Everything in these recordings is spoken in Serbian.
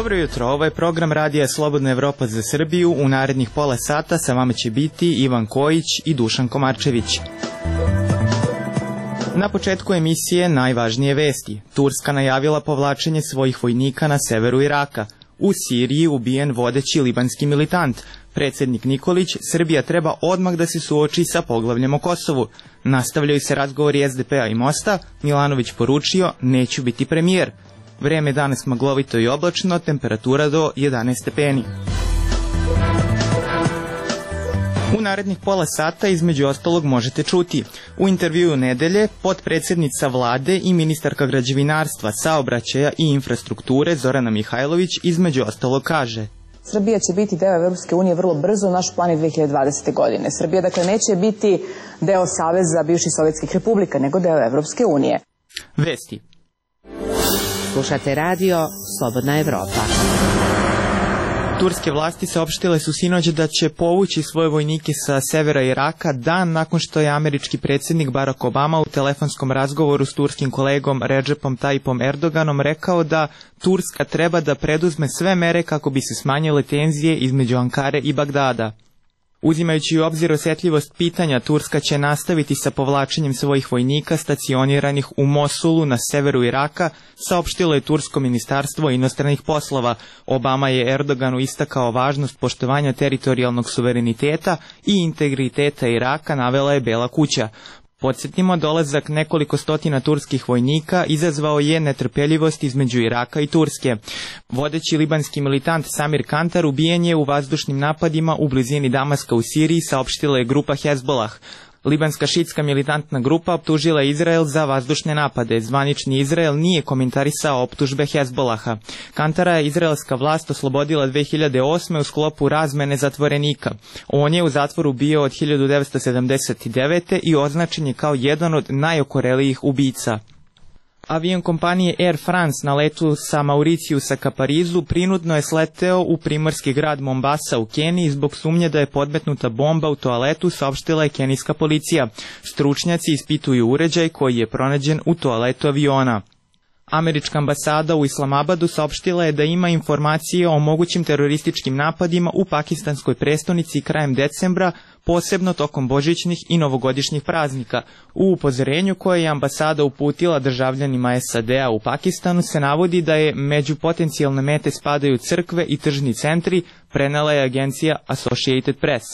Dobro jutro, ovo je program Radija Slobodna Evropa za Srbiju. U narednih pola sata sa vama će biti Ivan Kojić i Dušan Komarčević. Na početku emisije najvažnije vesti. Turska najavila povlačenje svojih vojnika na severu Iraka. U Siriji ubijen vodeći libanski militant. Predsjednik Nikolić, Srbija treba odmah da se suoči sa poglavljem o Kosovu. Nastavljaju se razgovori SDP-a i Mosta. Milanović poručio, neću biti premijer. Vreme danas maglovito i oblačno, temperatura do 11 stepeni. U narednih pola sata između ostalog možete čuti. U intervjuu nedelje potpredsjednica vlade i ministarka građevinarstva, saobraćaja i infrastrukture Zorana Mihajlović između ostalog kaže: Srbija će biti deo Evropske unije vrlo brzo, naš plan je 2020. godine. Srbija dakle neće biti deo Saveza bivših sovjetskih republika, nego deo Evropske unije. Vesti. Slušate radio Slobodna Evropa. Turske vlasti saopštile su sinoć da će povući svoje vojnike sa severa Iraka dan nakon što je američki predsjednik Barack Obama u telefonskom razgovoru s turskim kolegom Recepom Tayyipom Erdoganom rekao da Turska treba da preduzme sve mere kako bi se smanjile tenzije između Ankare i Bagdada. Uzimajući u obzir osjetljivost pitanja, Turska će nastaviti sa povlačenjem svojih vojnika stacioniranih u Mosulu na severu Iraka, saopštilo je tursko ministarstvo inostranih poslova. Obama je Erdoganu istakao važnost poštovanja teritorijalnog suvereniteta i integriteta Iraka, navela je Bela kuća. Podsjetimo, dolazak nekoliko stotina turskih vojnika izazvao je netrpeljivost između Iraka i Turske. Vodeći libanski militant Samir Kantar ubijen je u vazdušnim napadima u blizini Damaska u Siriji, saopštila je grupa Hezbollah. Libanska šitska militantna grupa optužila Izrael za vazdušne napade. Zvanični Izrael nije komentarisao optužbe Hezbollaha. Kantara je izraelska vlast oslobodila 2008. u sklopu razmene zatvorenika. On je u zatvoru bio od 1979. i označen je kao jedan od najokorelijih ubica. Avion kompanije Air France na letu sa Mauriciusa ka Parizu prinudno je sleteo u primorski grad Mombasa u Keniji zbog sumnje da je podmetnuta bomba u toaletu, saopštila je kenijska policija. Stručnjaci ispituju uređaj koji je pronađen u toaletu aviona. Američka ambasada u Islamabadu saopštila je da ima informacije o mogućim terorističkim napadima u pakistanskoj prestonici krajem decembra, posebno tokom božićnih i novogodišnjih praznika. U upozorenju koje je ambasada uputila državljanima SAD-a u Pakistanu se navodi da je među potencijalne mete spadaju crkve i tržni centri, prenela je agencija Associated Press.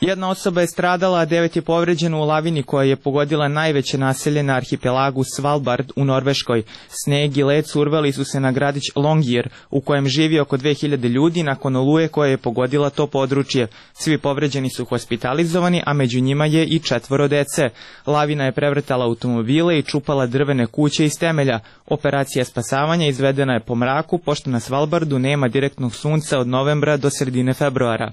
Jedna osoba je stradala, a 9 je povređeno u lavini koja je pogodila najveće naselje na arhipelagu Svalbard u Norveškoj. Sneg i led survali su se na gradić Longyear, u kojem živi oko 2000 ljudi nakon oluje koja je pogodila to područje. Svi povređeni su hospitalizovani, a među njima je i 4 dece. Lavina je prevrtala automobile i čupala drvene kuće iz temelja. Operacija spasavanja izvedena je po mraku, pošto na Svalbardu nema direktnog sunca od novembra do sredine februara.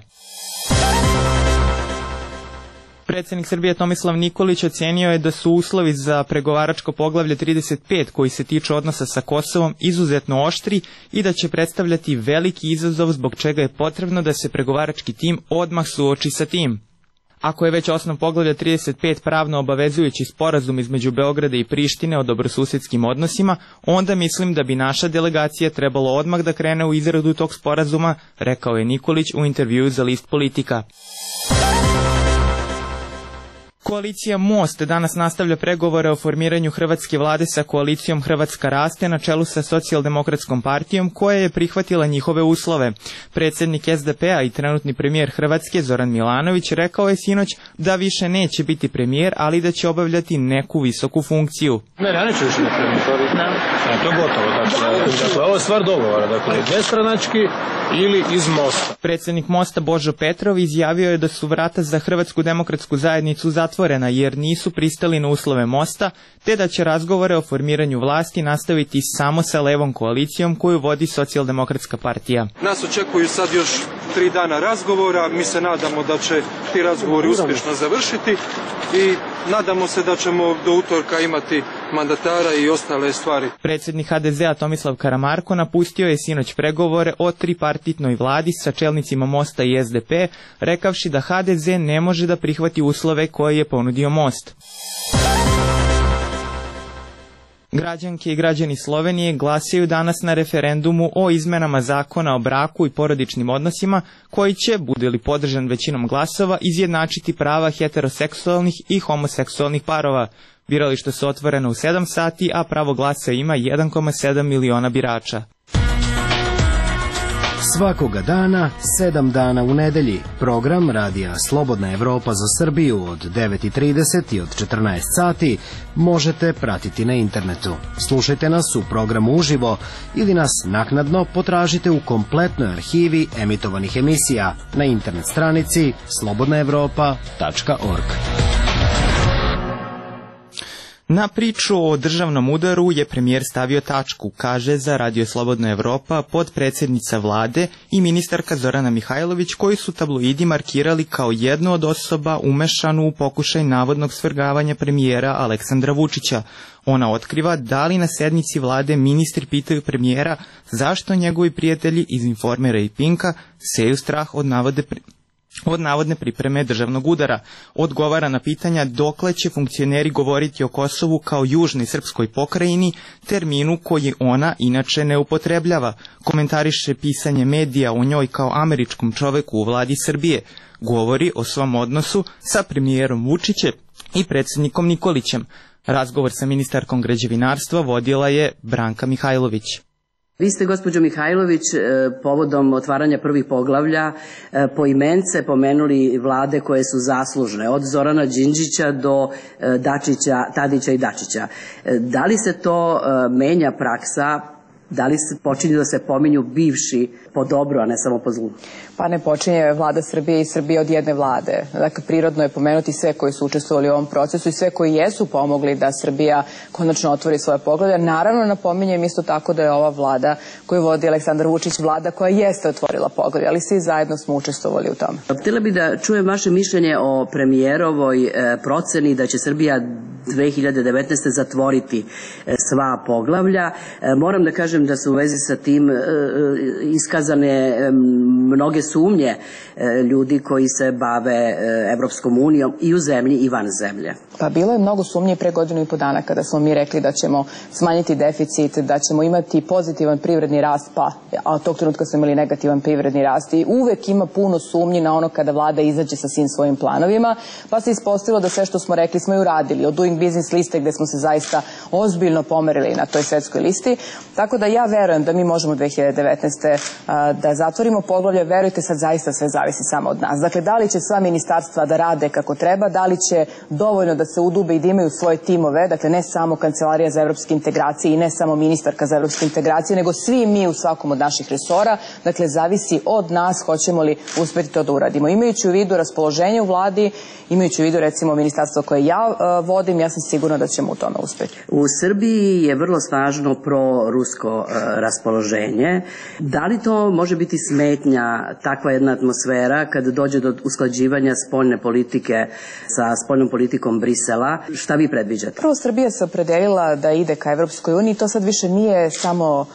Predsjednik Srbije Tomislav Nikolić ocenio je da su uslovi za pregovaračko poglavlje 35 koji se tiču odnosa sa Kosovom izuzetno oštri i da će predstavljati veliki izazov zbog čega je potrebno da se pregovarački tim odmah suoči sa tim. Ako je već osnov poglavlja 35 pravno obavezujući sporazum između Beograda i Prištine o dobrosusjedskim odnosima, onda mislim da bi naša delegacija trebalo odmah da krene u izradu tog sporazuma, rekao je Nikolić u intervjuu za list Politika. Koalicija Most danas nastavlja pregovore o formiranju hrvatske vlade sa koalicijom Hrvatska raste na čelu sa Socijaldemokratskom partijom koja je prihvatila njihove uslove. Predsjednik SDP-a i trenutni premijer Hrvatske Zoran Milanović rekao je sinoć da više neće biti premijer, ali da će obavljati neku visoku funkciju. Ne, neću više na premijer. To je gotovo. Dakle, ovo je stvar dogovora. Dakle, nestranački ili iz Mosta. Predsjednik Mosta Božo Petrov izjavio je da su vrata za Hrvatsku demokratsku zajednicu zatvorena jer nisu pristali na uslove Mosta, te da će razgovore o formiranju vlasti nastaviti samo sa levom koalicijom koju vodi Socijaldemokratska partija. Nas očekuju sad još 3 dana razgovora, mi se nadamo da će ti razgovori uspješno završiti i nadamo se da ćemo do utorka imati mandatara i ostale stvari. Predsjednik HDZ-a Tomislav Karamarko napustio je sinoć pregovore o tripartitnoj vladi sa čelnicima Mosta i SDP, rekavši da HDZ ne može da prihvati uslove koje je ponudio Most. Građanke i građani Slovenije glasaju danas na referendumu o izmenama zakona o braku i porodičnim odnosima koji će, bude li podržan većinom glasova, izjednačiti prava heteroseksualnih i homoseksualnih parova. Birališta su otvorena u 7 sati, a pravo glasa ima 1,7 miliona birača. Svakoga dana, 7 dana u nedelji, program Radija Slobodna Evropa za Srbiju od 9:30 i od 14 sati možete pratiti na internetu. Slušajte nas u programu uživo ili nas naknadno potražite u kompletnoj arhivi emitovanih emisija na internet stranici slobodnaevropa.org. Na priču o državnom udaru je premijer stavio tačku, kaže za Radio Slobodna Evropa podpredsednica vlade i ministarka Zorana Mihajlović, koji su tabloidi markirali kao jednu od osoba umešanu u pokušaj navodnog svrgavanja premijera Aleksandra Vučića. Ona otkriva da li na sednici vlade ministri pitaju premijera zašto njegovi prijatelji iz Informera i Pinka seju strah od navodne pripreme državnog udara. Odgovara na pitanja dokle će funkcioneri govoriti o Kosovu kao južnoj srpskoj pokrajini, terminu koji ona inače ne upotrebljava. Komentariše pisanje medija o njoj kao američkom čoveku u vladi Srbije. Govori o svom odnosu sa premijerom Vučićem i predsjednikom Nikolićem. Razgovor sa ministarkom građevinarstva vodila je Branka Mihajlović. Vi ste, gospođo Mihajlović, povodom otvaranja prvih poglavlja poimence pomenuli vlade koje su zaslužne, od Zorana Đinđića do Tadića i Dačića. Da li se to menja praksa? Da li se počinju da se pominju bivši po dobru, a ne samo po zlu? Pa ne počinje vlada Srbije i Srbije od jedne vlade. Dakle, prirodno je pomenuti sve koji su učestvovali u ovom procesu i sve koji jesu pomogli da Srbija konačno otvori svoje poglavlja. Naravno, napominjem isto tako da je ova vlada koju vodi Aleksandar Vučić vlada koja jeste otvorila poglavlja, ali svi zajedno smo učestvovali u tome. Htjela bih da čujem vaše mišljenje o premijerovoj proceni da će Srbija 2019. zatvoriti sva poglavlja. Moram da kažem da su u vezi sa tim iskazane mnoge sumnje ljudi koji se bave Evropskom unijom i u zemlji i van zemlje. Pa bilo je mnogo sumnje pre 1,5 godina kada smo mi rekli da ćemo smanjiti deficit, da ćemo imati pozitivan privredni rast, a od tog trenutka smo imali negativan privredni rast i uvek ima puno sumnji na ono kada vlada izađe sa svim svojim planovima, pa se ispostavilo da sve što smo rekli smo i uradili, od Doing Business liste gde smo se zaista ozbiljno pomerili na toj svetskoj listi, tako da ja verujem da mi možemo 2019. Da zatvorimo poglavlje, verujte sad zaista sve zavisi samo od nas. Dakle, da li će sva ministarstva da rade kako treba, da li će dovoljno da se udube i da imaju svoje timove, dakle ne samo Kancelarija za evropske integracije i ne samo ministarka za evropske integracije, nego svi mi u svakom od naših resora, dakle zavisi od nas hoćemo li uspeti to da uradimo. Imajući u vidu raspoloženje u vladi, imajući u vidu recimo ministarstvo koje ja vodim, ja sam sigurna da ćemo u tome uspeti. U Srbiji je vrlo snažno pro-rusko raspoloženje. Da li to može biti smetnja, takva jedna atmosfera, kada dođe do usklađivanja spoljne politike sa spoljnom politikom Brisela? Šta vi predviđate? Prvo, Srbija se opredelila da ide ka Evropskoj uniji. To sad više nije samo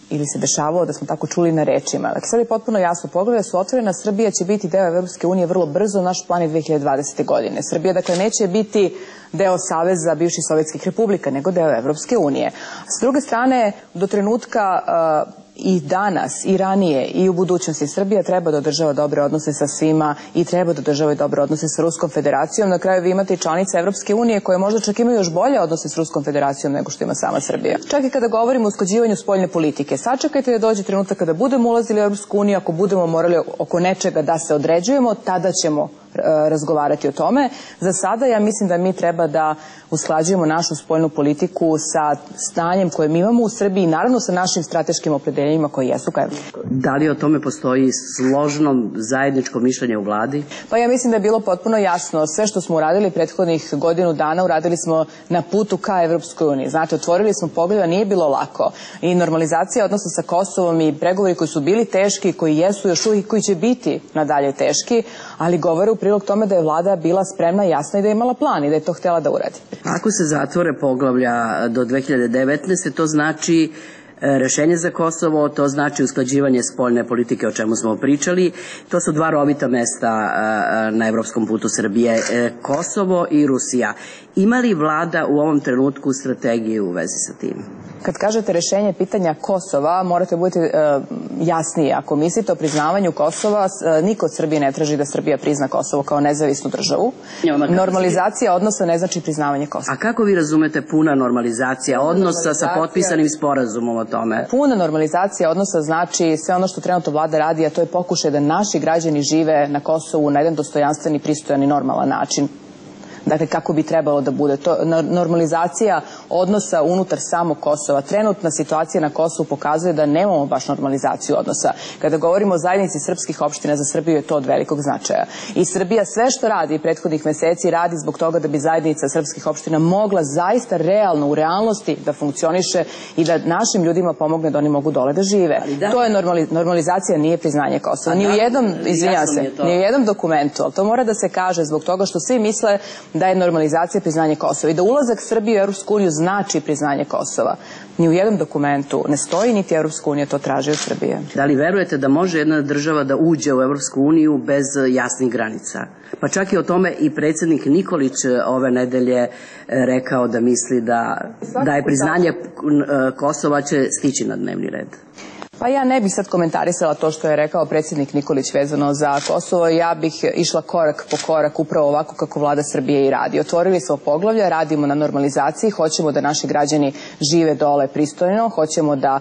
ili se dešavalo da smo tako čuli na rečima. Dakle, sad je potpuno jasno, poglavlja su otvorena, Srbija će biti deo Evropske unije vrlo brzo, naš plan je 2020. godine. Srbija, dakle, neće biti deo Saveza bivših sovjetskih republika, nego deo Evropske unije. S druge strane, do trenutka i danas, i ranije, i u budućnosti Srbija treba da održava dobre odnose sa svima i treba da održava dobre odnose sa Ruskom federacijom. Na kraju vi imate i članice Evropske unije koje možda čak imaju još bolje odnose s Ruskom federacijom nego što ima sama Srbija. Čak i kada govorimo o usklađivanju spoljne politike, sačekajte da dođe trenutak kada budemo ulazili u Evropsku uniju, ako budemo morali oko nečega da se određujemo, tada ćemo razgovarati o tome. Za sada ja mislim da mi treba da usklađujemo našu spoljnu politiku sa stanjem koje mi imamo u Srbiji i naravno sa našim strateškim opredeljenjima koji jesu ka Evropskoj. Da li o tome postoji složno zajedničko mišljenje u vladi? Pa ja mislim da je bilo potpuno jasno. Sve što smo uradili prethodnih godinu dana uradili smo na putu ka Evropskoj uniji. Znate, otvorili smo poglavlja, nije bilo lako. I normalizacija odnosa sa Kosovom i pregovori koji su bili teški, koji jesu još uvijek, koji će biti nadalje teški, ali govore u prilog tome da je vlada bila spremna, jasna i da je imala plan i da je to htjela da uradi. Ako se zatvore poglavlja do 2019. to znači rešenje za Kosovo, to znači usklađivanje spoljne politike, o čemu smo pričali. To su dva rovita mesta na evropskom putu Srbije, Kosovo i Rusija. Ima li vlada u ovom trenutku strategiju u vezi sa tim? Kad kažete rešenje pitanja Kosova, morate biti jasniji. Ako mislite o priznavanju Kosova, niko od Srbije ne traži da Srbija prizna Kosovo kao nezavisnu državu. Normalizacija odnosa ne znači priznavanje Kosova. A kako vi razumete puna normalizacija odnosa sa potpisanim sporazumom o tome? Puna normalizacija odnosa znači sve ono što trenutno vlada radi, a to je pokušaj da naši građani žive na Kosovu na jedan dostojanstveni, pristojan i normalan način. Dakle, kako bi trebalo da bude. To normalizacija odnosa unutar samog Kosova. Trenutna situacija na Kosovu pokazuje da nemamo baš normalizaciju odnosa. Kada govorimo o zajednici srpskih opština, za Srbiju je to od velikog značaja. I Srbija sve što radi prethodnih meseci radi zbog toga da bi zajednica srpskih opština mogla zaista realno, u realnosti da funkcioniše i da našim ljudima pomogne da oni mogu dole da žive. To je normalizacija, nije priznanje Kosova. Ni u jednom dokumentu, ali to mora da se kaže zbog toga što svi misle da je normalizacija priznanje Kosova i da ulazak Srbije u Evropsku uniju znači priznanje Kosova. Ni u jednom dokumentu ne stoji, niti Evropska unija to traži od Srbije. Da li verujete da može jedna država da uđe u Evropsku uniju bez jasnih granica? Pa čak i o tome i predsjednik Nikolić ove nedelje rekao da misli da je priznanje Kosova će stići na dnevni red. Pa ja ne bih sad komentarisala to što je rekao predsjednik Nikolić vezano za Kosovo. Ja bih išla korak po korak upravo ovako kako vlada Srbije i radi. Otvorili smo poglavlja, radimo na normalizaciji, hoćemo da naši građani žive dole pristojno, hoćemo da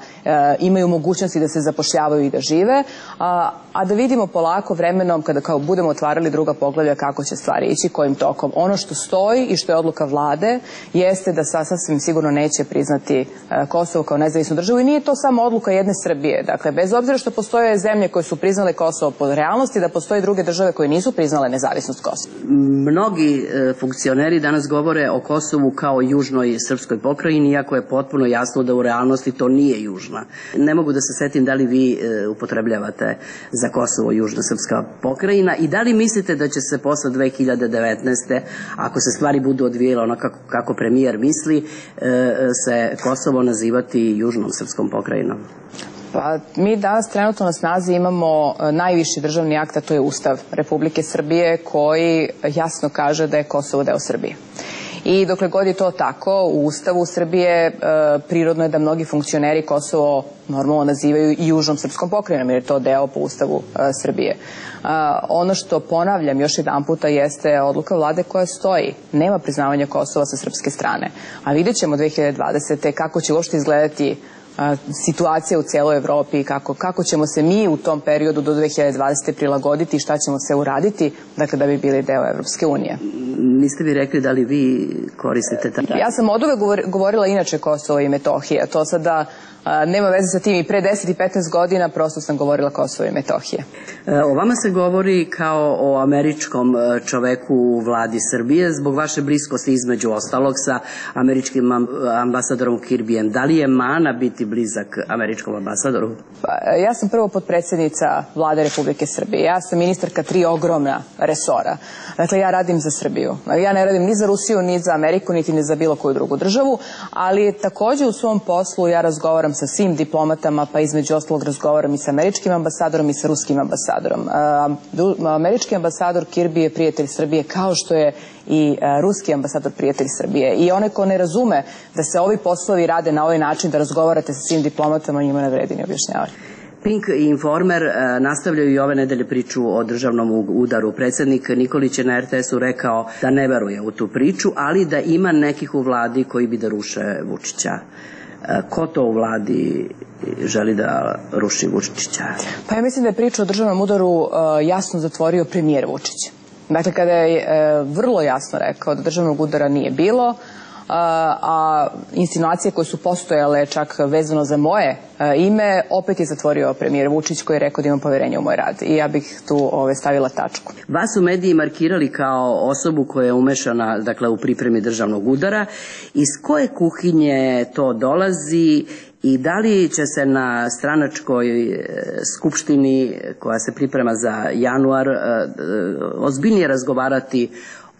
imaju mogućnosti da se zapošljavaju i da žive, a da vidimo polako vremenom kada kao budemo otvarali druga poglavlja kako će stvari ići, kojim tokom. Ono što stoji i što je odluka vlade jeste da sasvim sigurno neće priznati Kosovo kao nezavisnu državu i nije to samo odluka jedne Srbije. Dakle, bez obzira što postoje zemlje koje su priznale Kosovo po realnosti, da postoje druge države koje nisu priznale nezavisnost Kosova. Mnogi funkcioneri danas govore o Kosovu kao južnoj srpskoj pokrajini, iako je potpuno jasno da u realnosti to nije južna. Ne mogu da se setim da li vi upotrebljavate za Kosovo južna srpska pokrajina i da li mislite da će se posle 2019. ako se stvari budu odvijele onako kako premijer misli, se Kosovo nazivati južnom srpskom pokrajinom? Pa mi danas trenutno na snazi imamo najviši državni akt, a to je Ustav Republike Srbije koji jasno kaže da je Kosovo deo Srbije. I dokle god je to tako, u Ustavu Srbije prirodno je da mnogi funkcioneri Kosovo normalno nazivaju i južnom srpskom pokrajinom, jer je to deo po Ustavu Srbije. Ono što ponavljam još jedan puta jeste odluka vlade koja stoji. Nema priznavanja Kosova sa srpske strane. A vidjet ćemo 2020. kako će uopšte izgledati situacija u cijeloj Evropi i kako ćemo se mi u tom periodu do 2020. prilagoditi i šta ćemo se uraditi, dakle, da bi bili deo Evropske unije. Niste vi rekli da li vi koristite Ja sam od uvek govorila inače Kosovo i Metohija. To sada nema veze sa tim. I pre 10 i 15 godina prosto sam govorila Kosovo i Metohije. O vama se govori kao o američkom čoveku u vladi Srbije zbog vaše bliskosti između ostalog sa američkim ambasadorom Kirbijem. Da li je mana biti blizak američkom ambasadoru? Ja sam prvo potpredsjednica vlade Republike Srbije. Ja sam ministarka 3 ogromna resora. Dakle, ja radim za Srbiju. Ja ne radim ni za Rusiju, ni za Ameriku, niti ni za bilo koju drugu državu, ali takođe u svom poslu ja razgovaram sa svim diplomatama, pa između ostalog razgovaram i sa američkim ambasadorom i sa ruskim ambasadorom. Američki ambasador Kirbi je prijatelj Srbije, kao što je i ruski ambasador prijatelj Srbije. I onaj ko ne razume da se ovi poslovi rade na ovaj način, da razgovarate sa svim diplomatama, njima ne vredi ni objašnjavati. Pink i Informer nastavljaju i ove nedelje priču o državnom udaru. Predsjednik Nikolić je na RTS-u rekao da ne veruje u tu priču, ali da ima nekih u vladi koji bi da ruše Vučića. Ko to u vladi želi da ruši Vučića? Pa ja mislim da je priča o državnom udaru jasno zatvorio premijer Vučić. Dakle, kada je vrlo jasno rekao da državnog udara nije bilo, a insinuacije koje su postojale čak vezano za moje ime, opet je zatvorio premijer Vučić koji je rekao da imam poverenje u moj rad. I ja bih tu stavila tačku. Vas su mediji markirali kao osobu koja je umešana, dakle, u pripremi državnog udara. Iz koje kuhinje to dolazi i da li će se na stranačkoj skupštini koja se priprema za januar ozbiljnije razgovarati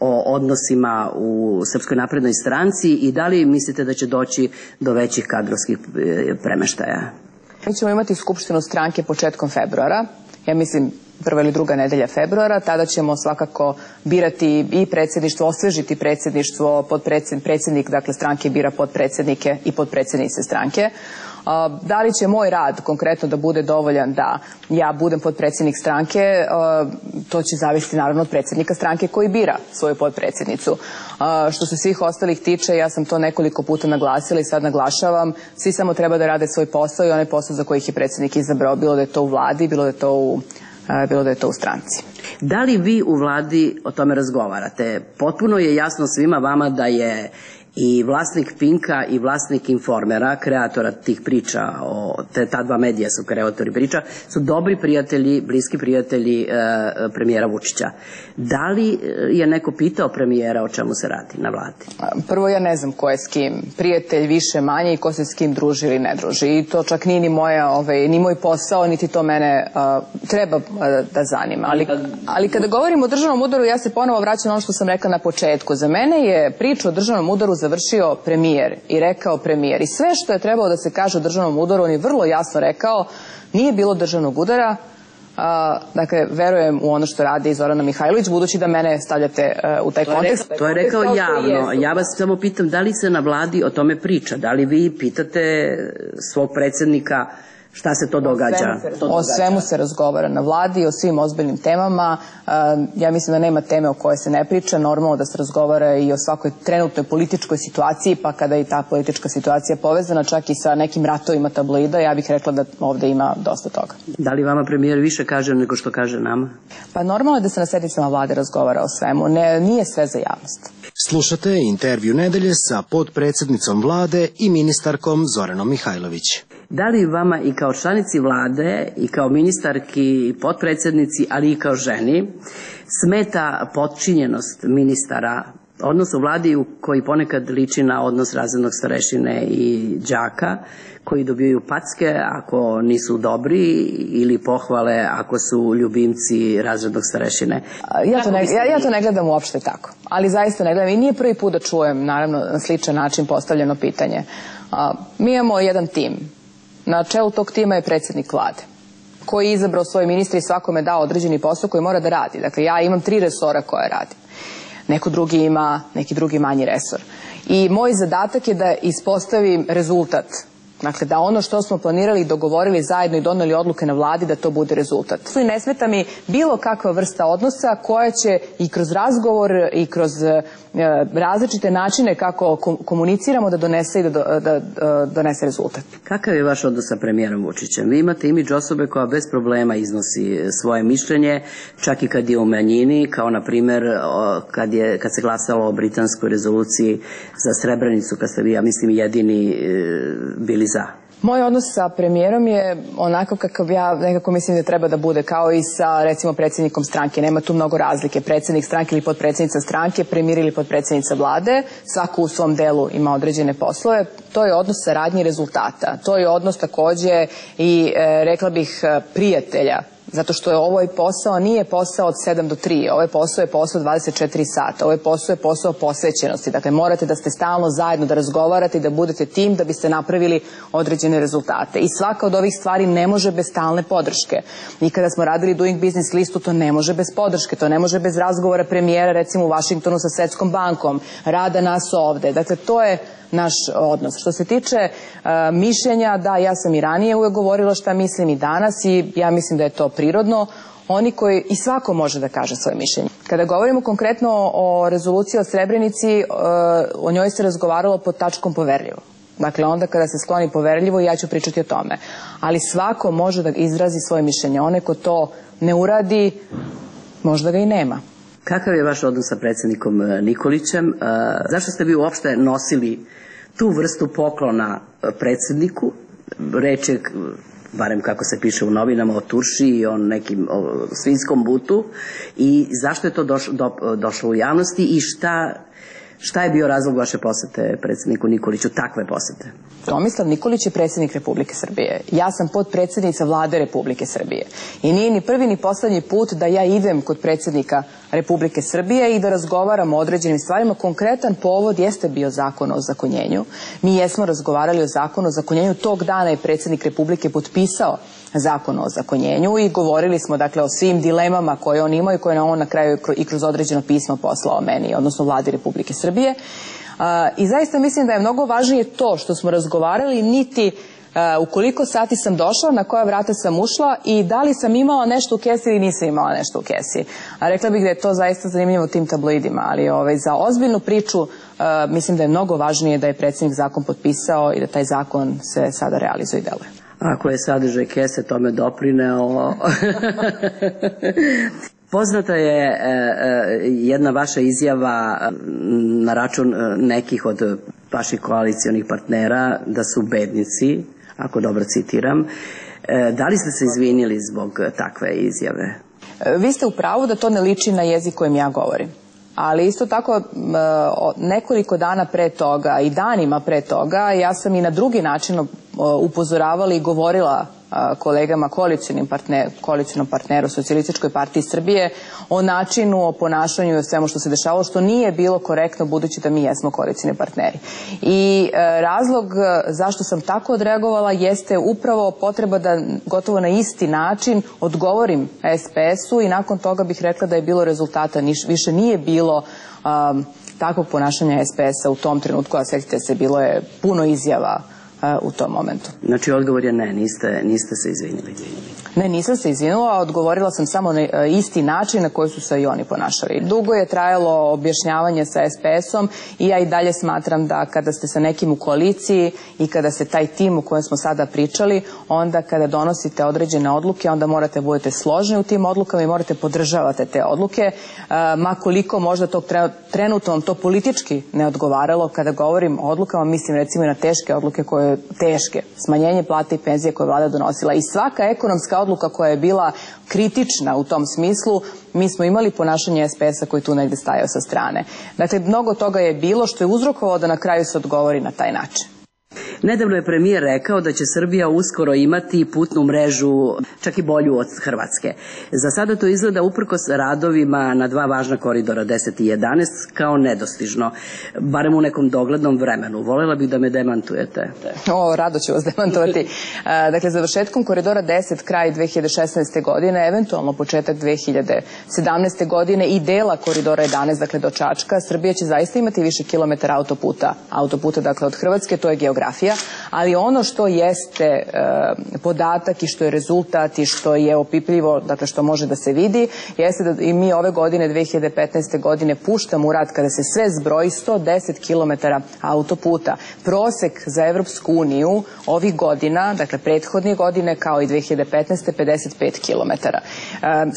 o odnosima u Srpskoj naprednoj stranci i da li mislite da će doći do većih kadrovskih premeštaja? Mi ćemo imati skupštinu stranke početkom februara, ja mislim prva ili druga nedelja februara, tada ćemo svakako birati i predsjedništvo, osvežiti predsjedništvo, predsjednik, dakle stranke bira potpredsjednike i potpredsjednice stranke. Da li će moj rad konkretno da bude dovoljan da ja budem potpredsjednik stranke, to će zavisiti naravno od predsjednika stranke koji bira svoju potpredsjednicu. Što se svih ostalih tiče, ja sam to nekoliko puta naglasila i sad naglašavam, svi samo treba da rade svoj posao i onaj posao za koji ih je predsjednik izabrao, bilo da je to u vladi, bilo da je to u stranci. Da li vi u vladi o tome razgovarate? Potpuno je jasno svima vama da je i vlasnik Pinka i vlasnik Informera, kreatora tih priča, ta dva medija su kreatori priča, su dobri prijatelji, bliski prijatelji premijera Vučića. Da li je neko pitao premijera o čemu se radi na vladi? Prvo, ja ne znam ko je s kim prijatelj, više manje, i ko se s kim druži ili ne druži. I to čak nije ni moj posao, niti to mene treba da zanima. Ali kada govorimo o državnom udaru, ja se ponovo vraćam na ono što sam rekla na početku. Za mene je priča o državnom udaru završio premijer i rekao premijer. I sve što je trebalo da se kaže o državnom udaru, on je vrlo jasno rekao, nije bilo državnog udara. Dakle, verujem u ono što radi Zorana Mihajlović, budući da mene stavljate u taj kontekst. To je rekao javno. Ja vas samo pitam, da li se na vladi o tome priča? Da li vi pitate svog predsjednika šta se to događa? O svemu se razgovara na vladi, o svim ozbiljnim temama. Ja mislim da nema teme o kojoj se ne priča. Normalno da se razgovara i o svakoj trenutnoj političkoj situaciji, pa kada je ta politička situacija povezana čak i sa nekim ratovima tabloida, ja bih rekla da ovde ima dosta toga. Da li vama premijer više kaže nego što kaže nama? Pa normalno je da se na sednicama vlade razgovara o svemu. Nije sve za javnost. Slušate intervju nedelje sa potpredsjednicom vlade i ministarkom Zoranom Mihajlović. Da li vama i kao članici vlade i kao ministarki i potpredsjednici, ali i kao ženi, smeta potčinjenost ministara, odnos u vladi koji ponekad liči na odnos razrednog starešine i đaka, koji dobijaju packe ako nisu dobri ili pohvale ako su ljubimci razrednog starešine? Ja to ne gledam uopšte tako, ali zaista ne gledam i nije prvi put da čujem, naravno, na sličan način postavljeno pitanje. Mi imamo jedan tim. Na čelu tog tima je predsjednik vlade, koji je izabrao svoje ministre i svakome dao određeni posao koji mora da radi. Dakle, ja imam 3 resora koje radim. Neko drugi ima neki drugi manji resor. I moj zadatak je da ispostavim rezultat. Dakle, da ono što smo planirali i dogovorili zajedno i doneli odluke na vladi, da to bude rezultat. I ne smeta mi bilo kakva vrsta odnosa koja će i kroz razgovor i kroz različite načine kako komuniciramo da donese rezultat. Kakav je vaš odnos sa premijerom Vučićem? Vi imate imidž osobe koja bez problema iznosi svoje mišljenje, čak i kad je u manjini, kao na primjer kad se glasalo o britanskoj rezoluciji za Srebrenicu, kad ste vi, ja mislim, jedini bili za. Moj odnos sa premijerom je onako kakav ja nekako mislim da treba da bude, kao i sa recimo predsjednikom stranke. Nema tu mnogo razlike. Predsjednik stranke ili potpredsjednica stranke, premijer ili potpredsjednica vlade, svako u svom delu ima određene poslove. To je odnos saradnje i rezultata. To je odnos takođe i rekla bih prijatelja. Zato što je ovaj posao nije posao od 7 do 3, ovaj posao je posao 24 sata, ovaj posao je posao posvećenosti. Dakle, morate da ste stalno zajedno, da razgovarate i da budete tim da biste napravili određene rezultate. I svaka od ovih stvari ne može bez stalne podrške. I kada smo radili Doing Business listu, to ne može bez podrške, to ne može bez razgovora premijera, recimo u Vašingtonu sa Svetskom bankom, rada nas ovde. Dakle, to je naš odnos. Što se tiče mišljenja, da, ja sam i ranije uvek govorila šta mislim i danas i ja mislim da je to prirodno. I svako može da kaže svoje mišljenje. Kada govorimo konkretno o rezoluciji o Srebrenici, o njoj se razgovaralo pod tačkom poverljivo. Dakle, onda kada se skloni poverljivo, ja ću pričati o tome. Ali svako može da izrazi svoje mišljenje. Onaj ko to ne uradi, možda ga i nema. Kakav je vaš odnos sa predsjednikom Nikolićem? Zašto ste vi uopšte nosili tu vrstu poklona predsjedniku? Reč je, barem kako se piše u novinama, o turši i o nekim svinjskom butu. I zašto je to došlo u javnosti i šta je bio razlog vaše posete predsjedniku Nikoliću, takve posete? Tomislav Nikolić je predsjednik Republike Srbije. Ja sam potpredsjednica vlade Republike Srbije. I nije ni prvi ni poslednji put da ja idem kod predsjednika Republike Srbije i da razgovaramo o određenim stvarima. Konkretan povod jeste bio zakon o ozakonjenju. Mi jesmo razgovarali o zakonu o ozakonjenju. Tog dana je predsjednik Republike potpisao zakon o ozakonjenju i govorili smo dakle o svim dilemama koje on ima i koje on na kraju i kroz određeno pismo poslao meni, odnosno vladi Republike Srbije. I zaista mislim da je mnogo važnije to što smo razgovarali, niti u koliko sati sam došla, na koja vrata sam ušla i da li sam imala nešto u kesi ili nisam imala nešto u kesi. A rekla bih da je to zaista zanimljivo u tim tabloidima, ali za ozbiljnu priču mislim da je mnogo važnije da je predsjednik zakon potpisao i da taj zakon se sada realizuje i deluje. Ako je sadržaj kese tome doprineo. Poznata je jedna vaša izjava na račun nekih od vaših koalicijonih partnera da su bednici, ako dobro citiram. Da li ste se izvinili zbog takve izjave? Vi ste u pravu da to ne liči na jezik kojim ja govorim. Ali isto tako nekoliko dana pre toga i danima pre toga ja sam i na drugi način upozoravala i govorila kolegama koalicionom partneru Socijalističkoj partiji Srbije o načinu, o ponašanju i o svemu što se dešavalo, što nije bilo korektno budući da mi jesmo koalicioni partneri. I razlog zašto sam tako odreagovala jeste upravo potreba da gotovo na isti način odgovorim SPS-u i nakon toga bih rekla da je bilo rezultata, više nije bilo takvog ponašanja SPS-a u tom trenutku, a sjetite se, bilo je puno izjava u tom momentu. Znači odgovor je ne, niste se izvinili. Ne, nisam se izvinula, odgovorila sam samo na isti način na koji su se i oni ponašali. Dugo je trajalo objašnjavanje sa SPS-om i ja i dalje smatram da kada ste sa nekim u koaliciji i kada se taj tim u kojem smo sada pričali, onda kada donosite određene odluke, onda morate budete složni u tim odlukama i morate podržavati te odluke, ma koliko možda tog trenutno vam to politički ne odgovaralo. Kada govorim o odlukama, mislim recimo i na teške odluke koje teške, smanjenje plate i penzije koje je vlada donosila i svaka ekonomska odluka koja je bila kritična u tom smislu, mi smo imali ponašanje SPS-a koji tu negde stajao sa strane. Dakle, mnogo toga je bilo što je uzrokovalo da na kraju se odgovori na taj način. Nedavno je premijer rekao da će Srbija uskoro imati putnu mrežu čak i bolju od Hrvatske. Za sada to izgleda uprkos radovima na dva važna koridora 10 i 11 kao nedostižno, barem u nekom doglednom vremenu. Volela bih da me demantujete. Rado ću vas demantovati. Dakle, završetkom koridora 10 kraj 2016. godine, eventualno početak 2017. godine i dela koridora 11, dakle do Čačka, Srbija će zaista imati više kilometara autoputa, dakle od Hrvatske, to je geografija, ali ono što jeste podatak i što je rezultat i što je opipljivo, dakle što može da se vidi, jeste da i mi ove godine, 2015. godine, puštamo u rad, kada se sve zbroji, 110 km autoputa. Prosek za Evropsku uniju ovih godina, dakle prethodne godine kao i 2015. 55 km.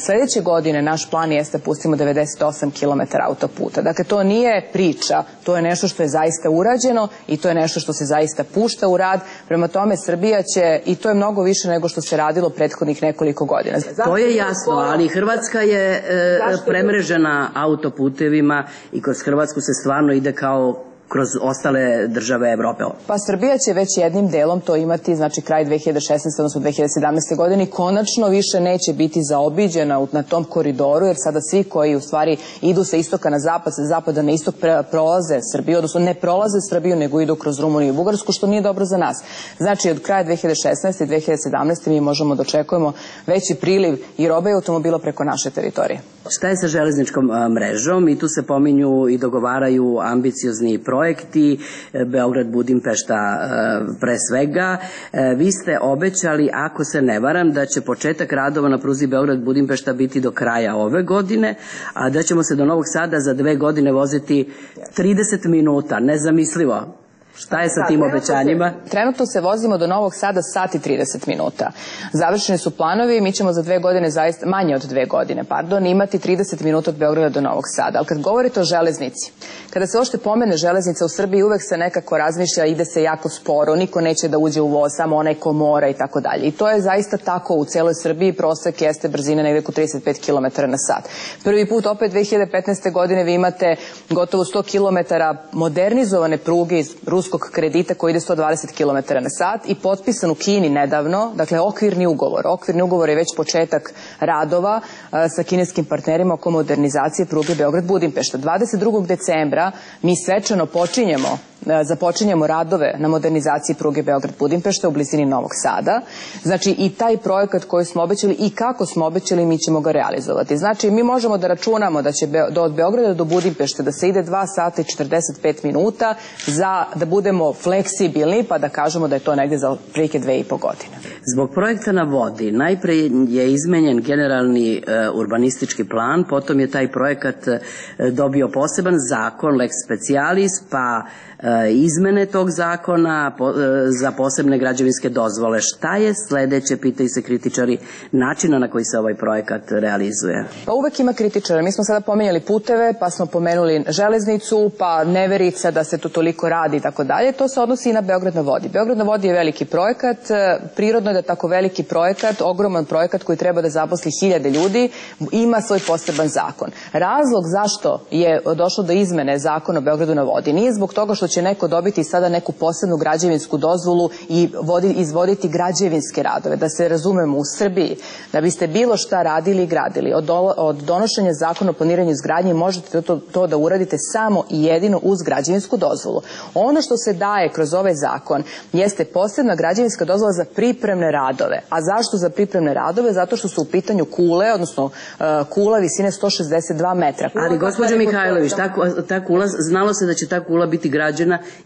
Sljedeće godine naš plan jeste da pustimo 98 km autoputa. Dakle, to nije priča, to je nešto što je zaista urađeno i to je nešto što se zaista pušta u rad. Prema tome, Srbija će, i to je mnogo više nego što se radilo prethodnih nekoliko godina. To je jasno, ali Hrvatska je premrežena autoputevima i kroz Hrvatsku se stvarno ide kao kroz ostale države Evrope. Pa Srbija će već jednim delom to imati, znači kraj 2016. odnosno 2017. godine, konačno više neće biti zaobiđena na tom koridoru, jer sada svi koji u stvari idu sa istoka na zapad, sa zapada na istok prolaze Srbiju, odnosno ne prolaze Srbiju, nego idu kroz Rumuniju i Bugarsku, što nije dobro za nas. Znači od kraja 2016. i 2017. mi možemo da očekujemo veći priliv i robe i automobila preko naše teritorije. Šta je sa železničkom mrežom? I tu se pominju i dogovaraju ambiciozni projekti, Beograd-Budimpešta pre svega. Vi ste obećali, ako se ne varam, da će početak radova na pruzi Beograd-Budimpešta biti do kraja ove godine, a da ćemo se do Novog Sada za 2 godine voziti 30 minuta. Nezamislivo. Šta je sa tim obećanjima? Trenutno se vozimo do Novog Sada sat i 30 minuta. Završeni su planovi, mi ćemo za 2 godine, zaista manje od 2 godine, imati 30 minuta od Beograda do Novog Sada. Ali kad govorite o železnici, kada se uopšte pomene železnica u Srbiji, uvek se nekako razmišlja, ide se jako sporo, niko neće da uđe u voz, samo onaj ko mora i tako dalje. I to je zaista tako u celoj Srbiji, prosek jeste brzine negde oko 35 km na sat. Prvi put opet 2015. godine vi imate gotovo 100 km modernizovane pruge iz Ruske ruskog kredita koji ide 120 km na sat i potpisan u Kini nedavno, dakle okvirni ugovor. Okvirni ugovor je već početak radova sa kineskim partnerima oko modernizacije pruge Beograd-Budimpešta. 22. decembra mi svečano započinjemo radove na modernizaciji pruge Beograd-Budimpešta u blizini Novog Sada. Znači i taj projekat koji smo obećali i kako smo obećali mi ćemo ga realizovati. Znači mi možemo da računamo da će od Beograda do Budimpešte da se ide 2 sata i 45 minuta da budemo fleksibilni pa da kažemo da je to negde za prilike 2,5 godine. Zbog projekta na vodi najpre je izmenjen generalni urbanistički plan, potom je taj projekat dobio poseban zakon, lex specialis, pa izmene tog zakona za posebne građevinske dozvole. Šta je sledeće, pitaju se kritičari, načina na koji se ovaj projekat realizuje? Pa uvek ima kritičara. Mi smo sada pomenjali puteve, pa smo pomenuli železnicu, pa neverica da se to toliko radi i tako dalje. To se odnosi i na Beograd na vodi. Beograd na vodi je veliki projekat, prirodno je da tako veliki projekat, ogroman projekat koji treba da zaposli 1000 ljudi, ima svoj poseban zakon. Razlog zašto je došlo do izmene zakona o Beogradu na vodi nije zbog toga što će neko dobiti sada neku posebnu građevinsku dozvolu i izvoditi građevinske radove. Da se razumemo, u Srbiji, da biste bilo šta radili i gradili, od donošenja zakona o planiranju izgradnje možete to da uradite samo i jedino uz građevinsku dozvolu. Ono što se daje kroz ovaj zakon jeste posebna građevinska dozvola za pripremne radove. A zašto za pripremne radove? Zato što su u pitanju kule, odnosno kula visine 162 metra. Ali gospođo Mihajlović, ta kula, znalo se da će ta kula biti građena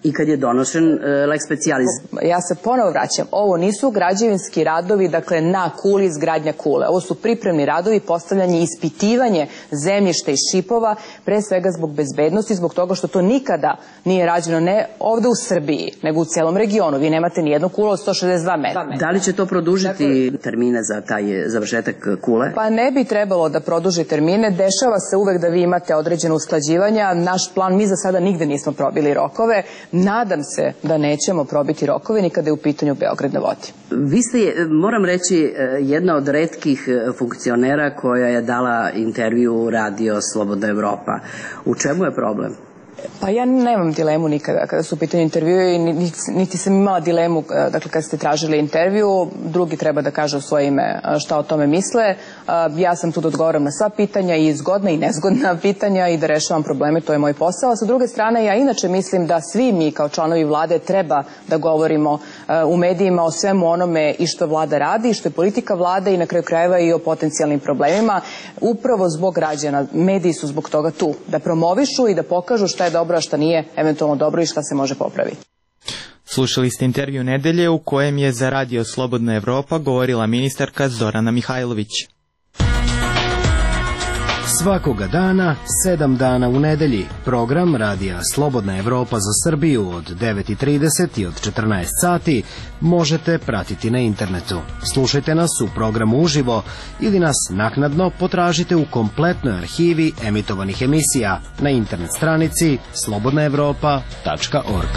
i kad je donošen lex specialis. Ja se ponovo vraćam. Ovo nisu građevinski radovi, dakle na kuli izgradnja kule. Ovo su pripremni radovi, postavljanje i ispitivanje zemljišta i šipova, pre svega zbog bezbednosti, zbog toga što to nikada nije rađeno ne ovde u Srbiji, nego u celom regionu. Vi nemate ni jednu kulu od 162 metra. Da li će to produžiti termine za taj završetak kule? Pa ne bi trebalo da produži termine. Dešava se uvek da vi imate određene usklađivanja. Naš plan, mi za sada nigde nismo probili rokove. Nadam se da nećemo probiti rokove ni kada je u pitanju Beograd na vodi. Vi ste, moram reći, jedna od retkih funkcionera koja je dala intervju u Radio Slobodna Evropa. U čemu je problem? Pa ja nemam dilemu nikada kada su u pitanju intervjue i niti sam imala dilemu dakle kad ste tražili intervju, drugi treba da kažu svoje ime šta o tome misle. Ja sam tu da odgovaram na sva pitanja i zgodna i nezgodna pitanja i da rešavam probleme, to je moj posao. Sa druge strane, ja inače mislim da svi mi kao članovi vlade treba da govorimo u medijima o svemu onome i što vlada radi i što je politika vlade i na kraju krajeva i o potencijalnim problemima. Upravo zbog građana, mediji su zbog toga tu, da promovišu i da pokažu šta je dobro, a šta nije eventualno dobro i šta se može popraviti. Slušali ste intervju nedelje u kojem je za Radio Slobodna Evropa govorila ministarka Zorana Mihajlović. Svakoga dana, 7 dana u nedelji, program Radija Slobodna Evropa za Srbiju od 9:30 i od 14 sati možete pratiti na internetu. Slušajte nas u programu uživo ili nas naknadno potražite u kompletnoj arhivi emitovanih emisija na internet stranici slobodnaevropa.org.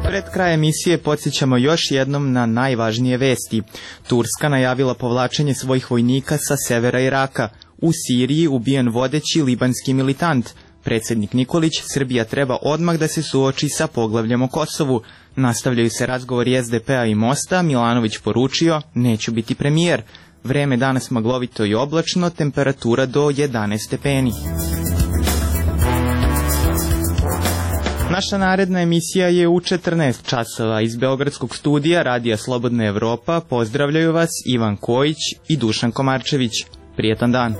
Pred kraj emisije podsjećamo još jednom na najvažnije vesti. Turska najavila povlačenje svojih vojnika sa severa Iraka. U Siriji ubijen vodeći libanski militant. Predsjednik Nikolić, Srbija treba odmah da se suoči sa poglavljem o Kosovu. Nastavljaju se razgovori SDP-a i Mosta, Milanović poručio, neću biti premijer. Vreme danas maglovito i oblačno, temperatura do 11 stepeni. Naša naredna emisija je u 14 časova. Iz Beogradskog studija Radija Slobodna Evropa pozdravljaju vas Ivan Kojić i Dušan Komarčević. Prijetan dan.